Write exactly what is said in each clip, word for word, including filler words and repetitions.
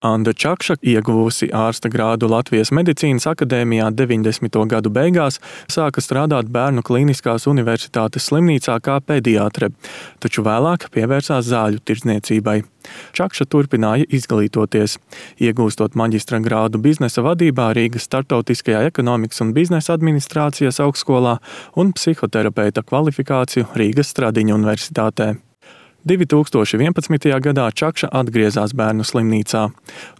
Anda Čakša, ieguvusi ārsta grādu Latvijas Medicīnas akadēmijā deviņdesmito gadu beigās, sāka strādāt Bērnu Kliniskās universitātes slimnīcā kā pediatre, taču vēlāk pievērsās zāļu tirdzniecībai. Čakša turpināja izglītoties, iegūstot maģistra grādu biznesa vadībā Rīgas Startautiskajā ekonomikas un biznesa administrācijas augstskolā un psihoterapeita kvalifikāciju Rīgas Stradiņa universitātē. divi tūkstoši vienpadsmitajā gadā Čakša atgriezās bērnu slimnīcā,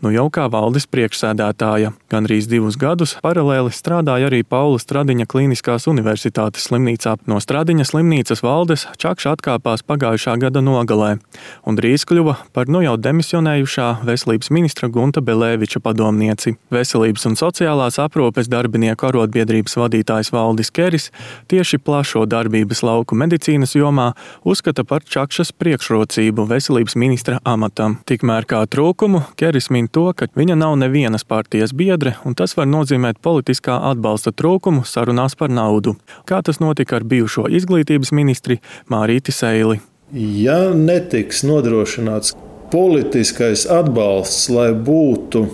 nu jau kā valdes priekšsēdētāja. Gandrīz divus gadus paralēli strādāja arī Paula Stradiņa Kliniskās universitātes slimnīcā. No Stradiņa slimnīcas valdes Čakša atkāpās pagājušā gada nogalē un drīz kļuva par nu jau demisionējušā veselības ministra Gunta Belēviča padomnieci. Veselības un sociālās aprūpes darbinieku arotbiedrības vadītājs Valdis Keris tieši plašo darbības lauku medicīnas jomā uzskata par Čakšas priekšrocību veselības ministra amatam. Tikmēr kā trūkumu Keris min to, ka viņa nav nevienas partijas biedre, un tas var nozīmēt politiskā atbalsta trūkumu sarunās par naudu. Kā tas notika ar bijušo izglītības ministri Mārīti Seili? Ja netiks nodrošināts politiskais atbalsts, lai būtu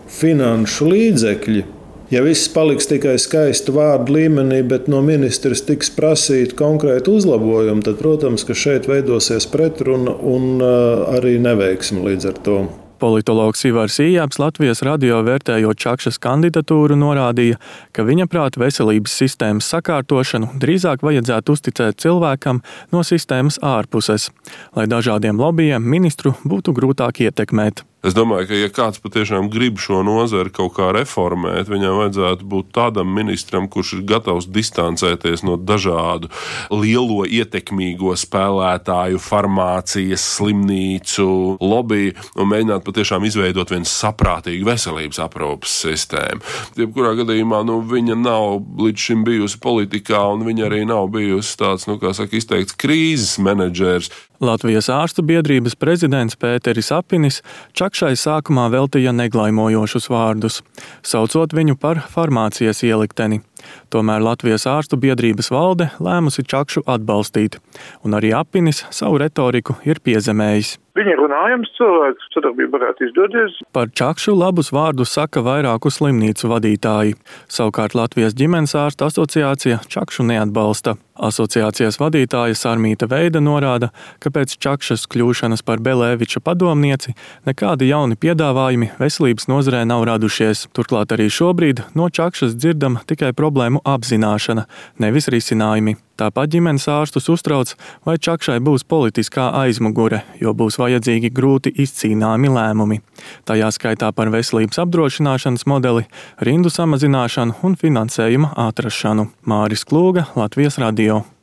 finanšu līdzekļi, ja viss paliks tikai skaistu vārdu līmenī, bet no ministrs tiks prasīt konkrētu uzlabojumu, tad, protams, ka šeit veidosies pretruna un arī neveiksme līdz ar to. Politologs Ivars Ījāps Latvijas radio vērtējot Čakšas kandidatūru norādīja, ka viņa prāt veselības sistēmas sakārtošanu drīzāk vajadzētu uzticēt cilvēkam no sistēmas ārpuses, lai dažādiem lobbyiem ministru būtu grūtāk ietekmēt. Es domāju, ka ja kāds patiešām grib šo nozari kaut kā reformēt, viņam vajadzētu būt tādam ministram, kurš ir gatavs distancēties no dažādu lielo ietekmīgo spēlētāju, farmācijas, slimnīcu, lobby un mēģināt patiešām izveidot vienu saprātīgu veselības aprūpes sistēmu. Jebkurā gadījumā nu, viņa nav līdz šim bijusi politikā un viņa arī nav bijusi tāds, nu, kā saka, izteikts krīzes menedžers. Latvijas ārstu biedrības prezidents Pēteris Apinis Čakšai sākumā veltīja neglaimojošus vārdus, saucot viņu par farmācijas ielikteni. Tomēr Latvijas ārstu biedrības valde lēmusi Čakšu atbalstīt, un arī Apinis savu retoriku ir piezemējis. Viņa ir runājams cilvēks, sadarbība varētu izdoties. Par Čakšu labus vārdus saka vairāku slimnīcu vadītāji. Savukārt Latvijas ģimenes ārstu asociācija Čakšu neatbalsta. Asociācijas vadītāja Sarmīta Veida norāda, ka pēc Čakšas kļūšanas par Belēviča padomnieci nekādi jauni piedāvājumi veselības nozarē nav radušies. Turklāt arī šobrīd no Čakšas dzirdama tikai problēmu apzināšana, nevis risinājumi. Tāpat ģimenes ārstus uztrauc, vai Čakšai būs politiskā aizmugure, jo būs vajadzīgi grūti izcīnāmi lēmumi. Tajā skaitā par veselības apdrošināšanas modeli, rindu samazināšanu un finansējuma atrašanu. Māris Klūga, Latvijas radio.